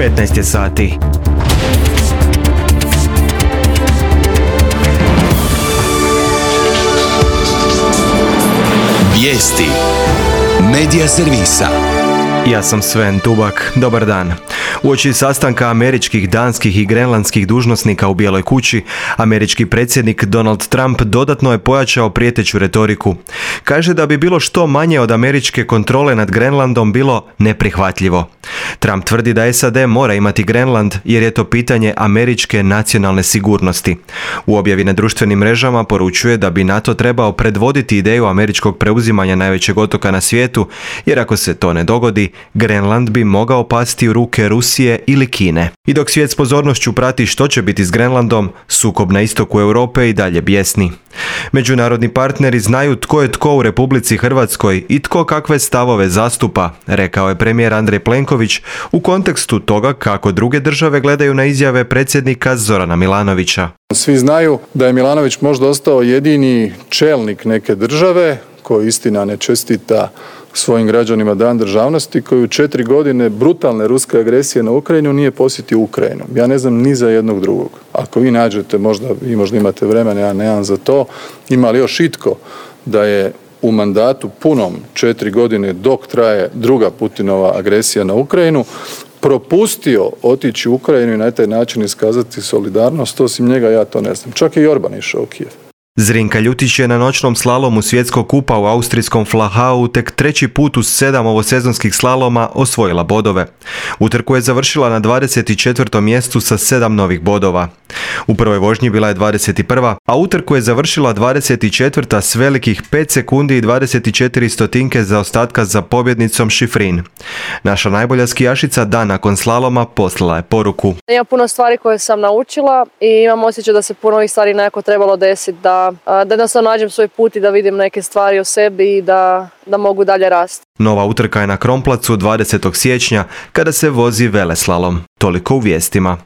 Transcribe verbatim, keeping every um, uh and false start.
petnaest je sati. Vijesti Medija servisa. Ja sam Sven Tubak. Dobar dan. Uoči sastanka američkih, danskih i grenlandskih dužnosnika u Bijeloj kući, američki predsjednik Donald Trump dodatno je pojačao prijeteću retoriku. Kaže da bi bilo što manje od američke kontrole nad Grenlandom bilo neprihvatljivo. Trump tvrdi da S A D mora imati Grenland jer je to pitanje američke nacionalne sigurnosti. U objavi na društvenim mrežama poručuje da bi NATO trebao predvoditi ideju američkog preuzimanja najvećeg otoka na svijetu, jer ako se to ne dogodi, Grenland bi mogao pasti u ruke Rusije ili Kine. I dok svijet s pozornošću prati što će biti s Grenlandom, sukob na istoku Europe i dalje bijesni. Međunarodni partneri znaju tko je tko u Republici Hrvatskoj i tko kakve stavove zastupa, rekao je premijer Andrej Plenković u kontekstu toga kako druge države gledaju na izjave predsjednika Zorana Milanovića. Svi znaju da je Milanović možda ostao jedini čelnik neke države koji istina ne čestita svojim građanima Dan državnosti, koji u četiri godine brutalne ruske agresije na Ukrajinu nije posjetio Ukrajinu. Ja ne znam ni za jednog drugog. Ako vi nađete, možda vi možda imate vremena, ja nemam za to, ima li još itko da je u mandatu punom četiri godine dok traje druga Putinova agresija na Ukrajinu propustio otići u Ukrajinu i na taj način iskazati solidarnost, osim njega ja to ne znam. Čak i Orban išao u Kijev. Zrinka Ljutić je na noćnom slalomu svjetskog kupa u austrijskom Flachau tek treći put uz sedam ovosezonskih slaloma osvojila bodove. Utrku je završila na dvadeset četvrtom mjestu sa sedam novih bodova. U prvoj vožnji bila je dvadeset prva, a utrku je završila dvadeset četvrta s velikih pet sekundi i dvadeset četiri stotinke zaostatka za pobjednicom Šifrin. Naša najbolja skijašica dan nakon slaloma poslala je poruku. Ima puno stvari koje sam naučila i imam osjećaj da se puno ovih stvari nekako trebalo desiti, da, da jednostavno nađem svoj put i da vidim neke stvari o sebi i da, da mogu dalje rasti. Nova utrka je na Kronplacu dvadesetog siječnja kada se vozi veleslalom. Toliko u vijestima.